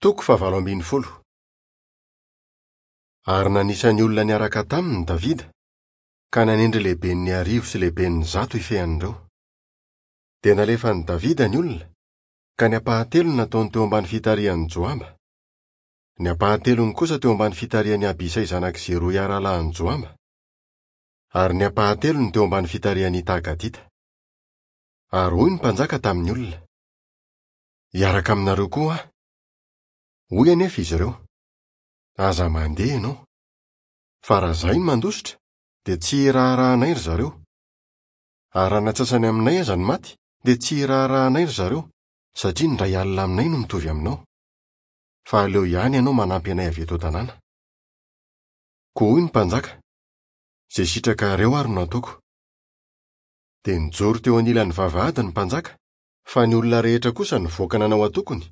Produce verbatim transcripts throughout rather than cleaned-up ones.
Toko fahavalo ambin'ny folo. Ary nanisa ny olona niaraka taminy Davida, ka nanendry lehiben'ny arivo sy lehiben'ny zato hifehy an'ireo. Dia nalefan'i Davida ny olona, ka ny ampahatelony nataony teo ambany fitarihan'i Joaba. Ny ampahatelony kosa teo ambany fitarihan'i Abisay zanak'i Zeroia rahalahin'i Joaba, ary ny ampahatelony teo ambany fitarihan'i Ita Gatita. Ary hoy ny mpanjaka tamin'ny olona: "Hiaraka aminareo koa aho." Hoy anefa izy ireo: "Aza mandeha ianao, fa raha izahay no mandositra, dia tsy hiraharahanay ry zareo. Ary raha ny antsasany aminay aza no maty, dia tsy hiraharahanay ry zareo, satria ny iray alina aminay no mitovy aminao. Fa aleo ihany ianao manampy anay avy eto an-tanàna." Koa hoy ny mpanjaka: "Izay sitrakareo ary no ataoko." Dia nijoro teo anilan'ny vavahady ny mpanjaka, fa ny olona rehetra kosa nivoaka nanao antokony,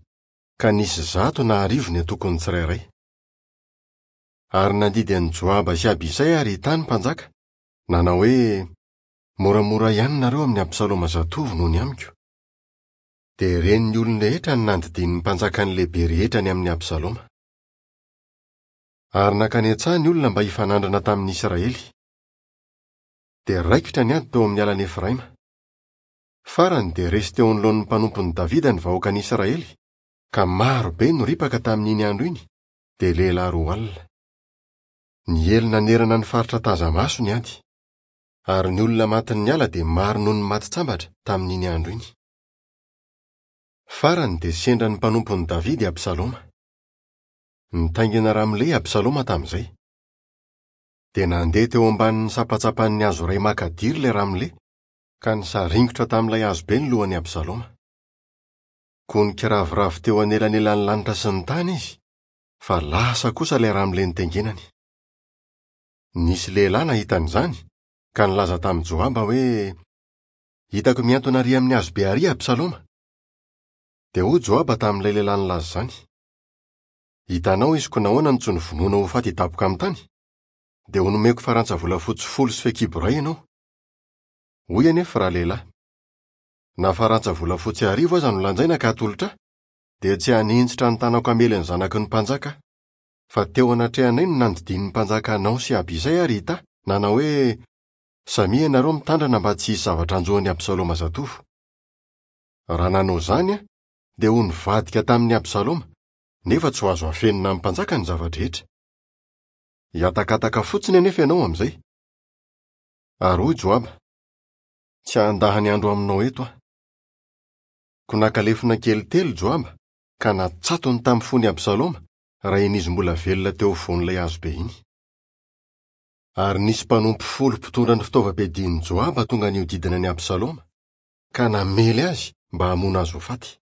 ka nisy zato na arivo ny antokony tsirairay. Ary nandidy an'i Joaba sy Abisay ary Ita ny mpanjaka, nanao hoe: "Moramora ihany nareo amin'i Absaloma zatovo noho ny amiko." Dia ren'ny olona rehetra ny nandidian'ny mpanjaka ny lehibe rehetra ny amin'i Absaloma. Ary nankany an-tsaha ny olona mba hifanandrina tamin'ny Israely. Dia raikitra ny ady teo amin'ny alan'i Efraima. Farany dia resy teo anoloan'ny mpanompon'i Davida ny vahoakan'Israely, ka maro be no ripaka tamin'iny andro iny, dia lehilahy roa alina. Niely nanerana ny faritra taza-maso ny ady. Ary ny olona matin'ny ala dia maro noho ny maty tsambatra tamin'iny andro iny. Farany dia sendra ny mpanompon'i Davida i Absaloma. Nitaingina ramole i Absaloma tamin'izay. Dia nandeha teo ambanin'ny sampantsampan'ny hazo iray makadiry ilay ramole, ka nisaringotra tamin'ilay hazo be ny lohan'i Absaloma. Koa nikiraviravy teo anelanelan'ny lanitra sy ny tany izy, fa lasa kosa ilay ramole nitaingenany. Nisy lehilahy nahita an'izany, ka nilaza tamin'i Joaba hoe: "Hitako mihantona ary amin'ny hazo be ary Absaloma." Dia hoy Joaba tamin'ilay lehilahy nilaza izany: "Hitanao izy ko nahoana no tsy novonoina ho faty hidaboka amin'ny tany? Dia ho nomeko farantsa volafotsy folo sy fehikibo iray ianao." Hoy anefa ralehilahy: "Na farantsa volafotsy arivo aza no lanjaina ka atolotra ahy, dia tsy haninjitra ny tanako hamely ny zanaky ny mpanjaka aho. Fa teo anatrehanay no nandidian'ny mpanjaka anao sy Abisay ary Ita, nanao hoe: 'Samia ianareo mitandrana mba tsy hisy zavatra hanjo an'i Absaloma zatovo.' Raha nanao izany aho, dia ho nivadika tamin'i Absaloma, nefa tsy ho azo afenina amin'ny mpanjaka ny zava-drehetra. Hihatakataka fotsiny anefa ianao amin'izay." Ary hoy Joaba: "Tsy handany andro aminao eto aho." Koa naka lefona kely telo Joaba, ka natsatony tamin'ny fon'i Absaloma, raha iny izy mbola velona teo afovoan'ilay hazo be iny. Ary nisy mpanompo folo mpitondra ny fitaovam-piadian'i Joaba tonga nihodidina an'i Absaloma, ka namely azy mba hamono azy ho faty.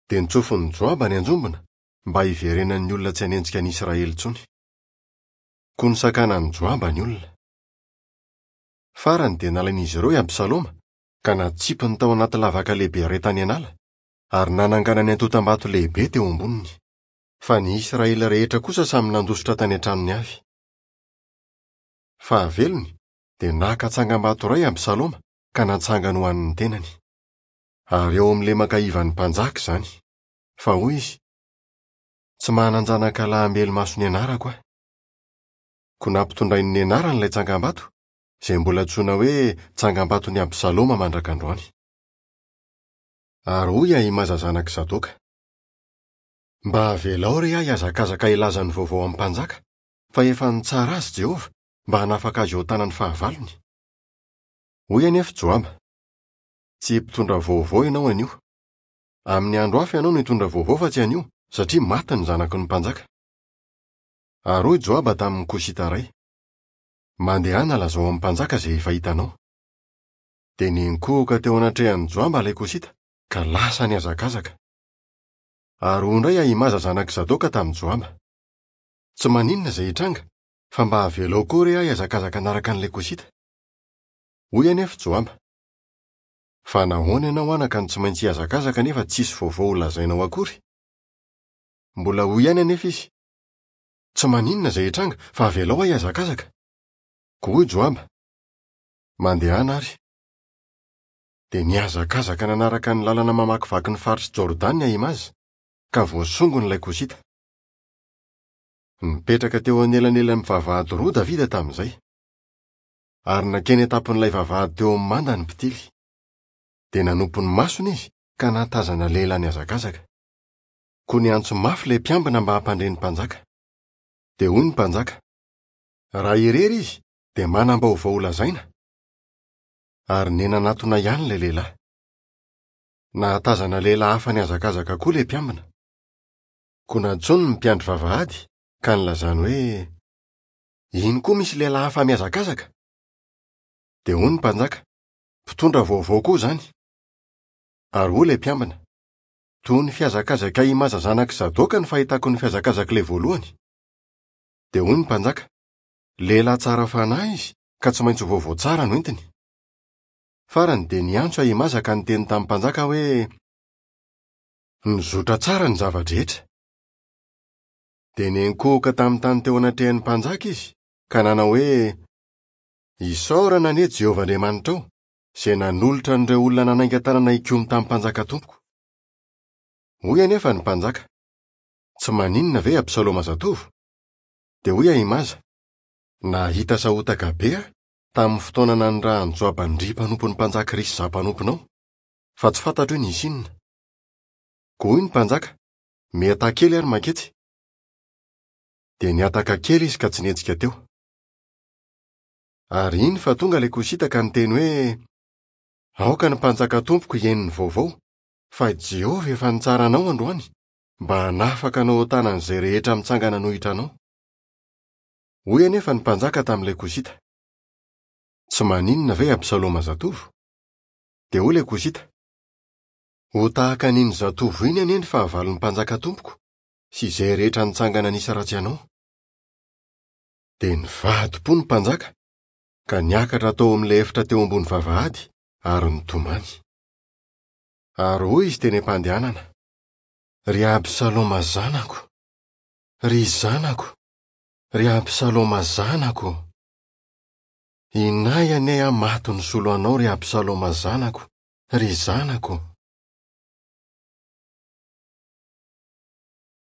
Dia nitsofin'i Joaba ny anjombona mba hiverenan'ny olona tsy hanenjika an'i Israely intsony. Koa nosakanan'i Joaba ny olona. Farany dia nalain'izy ireo i Absaloma, ka natsipiny tao anaty lavaka lehibe iray tany an'ala, ary nananganany antontam-bato lehibe teo amboniny. Fa ny Israely rehetra kosa samy nandositra tany an-tranony avy. Fahavelony dia naka tsangambato iray Absaloma ka natsangany ho an'ny tenany. Ary eo amin'ny lemaka ivan'ny mpanjaka izany. Fa hoy izy: "Tsy manan-janaka lahy hamelo-maso ny anarako aho." Koa nampitondrainy ny anarany ilay tsangambato, izay mbola antsoina hoe tsangambaton'i Absaloma mandrak'androany. Ary hoy Ahimaza zanak'i Zadoka: "Mba avelao re aho hihazakazaka hilaza ny vaovao amin'ny mpanjaka, fa efa nitsara azy Jehovah mba hanafaka azy eo an-tanan'ny fahavalony." Hoy anefa Joaba: "Tsy mpitondra vaovao ianao anio. Amin'ny andro hafa ianao no hitondra vaovao fa tsy anio, satria maty ny zanaky ny mpanjaka." Ary hoy Joaba tamin'ny Kosita iray: "Mandehana lazao amin'ny mpanjaka izay efa hitanao." Dia niankohoka teo anatrehan'i Joaba ilay Kosita, ka lasa nihazakazaka. Ary hoy indray Ahimaza zanak'i Zadoka tamin'i Joaba: "Tsy maninona izay hitranga, fa mba avelao koa re aho hihazakazaka hanaraka an'ilay Kosita." Hoy anefa Joaba: "Fa nahoana ianao anaka no tsy maintsy hihazakazaka nefa tsisy vaovao holazainao akory?" Mbola hoy ihany anefa izy: "Tsy maninona izay hitranga, fa avelao aho hihazakazaka." Koa hoy Joaba: "Mandehana ary." Dia nihazakazaka nanaraka ny lalana mamakivaky ny faritr'i Jordana Ahimaza, ka voasongon'ilay Kosita. Nipetraka teo anelanelan'ny vavahady roa Davida tamin'izay. Ary nankeny an-tampon'ilay vavahady teo amin'ny manda ny mpitily. Dia nanompo ny masony izy ka nahatazana lehilahy nihazakazaka. Koa niantso mafy ilay mpiambina mba hampandre ny mpanjaka. Dia hoy ny mpanjaka: "Raha irery izy dia manam-baovao holazaina." Ary nenanatona ihany ilay lehilahy. Nahatazana lehilahy hafa nihazakazaka koa ilay mpiambina. Koa nantsoiny ny mpiandry vavahady ka nilazany hoe: "Iny koa misy lehilahy hafa mihazakazaka." Dia hoy ny mpanjaka: "Mpitondra vaovao koa izany." Ary hoy ilay mpiambina: "Toy ny fihazakazaka Ahimaza zanak'i Zadoka ny fahitako ny fihazakazak'ilay voalohany." Dia hoy ny mpanjaka: "Lehilahy tsara fanahy izy ka tsy maintsy ho vaovao tsara no entiny." Farany dia niantso Ahimaza ka niteny tamin'ny mpanjaka hoe: "Nizotra tsara ny zava-drehetra." Dia niankohoka tamin'ny tany teo anatrehan'ny mpanjaka izy ka nanao hoe: "Isaorana anie Jehovah Andriamanitrao, izay nanolotra an'ireo olona nanainga tanana hikomy tamin'ny mpanjaka tompoko." Hoy anefa ny mpanjaka: "Tsy maninona ve Absaloma zatovo?" Dia hoy Ahimaza: "Nahita sahotaka be aho tamin'ny fotoana nanirahan'i Joaba ndry mpanompon'ny mpanjaka risy izaho mpanomponao, fa tsy fantatro hoe nisy inona." Koa hoy ny mpanjaka: "Mihataka kely ary manketsy." Dia nihataka kely izy ka tsy nihetsika teo. Ary iny fa tonga ilay Kosita ka niteny hoe: "Aoka ny mpanjaka tompoko hihaino ny vaovao, fa Jehovah efa nitsara anao androany mba hanafaka anao ho tanan'izay rehetra mitsangana hanohitra anao." Hoy anefa ny mpanjaka tamin'ilay Kosita: "Tsy maninona ve Absaloma zatovo?" Dia hoy ilay Kosita: "Ho tahaka an'iny zatovo iny anie ny fahavalon'ny mpanjaka tompoko sy izay rehetra nitsangana nisy ratsy anao." Dia nivadi-po ny mpanjaka ka niakatra tao amin'ilay efitra teo ambony vavahady ary nitomany. Ary hoy izy teny am-pandehanana: "Ry Absaloma zanako, ry zanako, ry Absaloma zanako! Inay anie aho maty nisolo anao, ry Absaloma zanako, ry zanako!"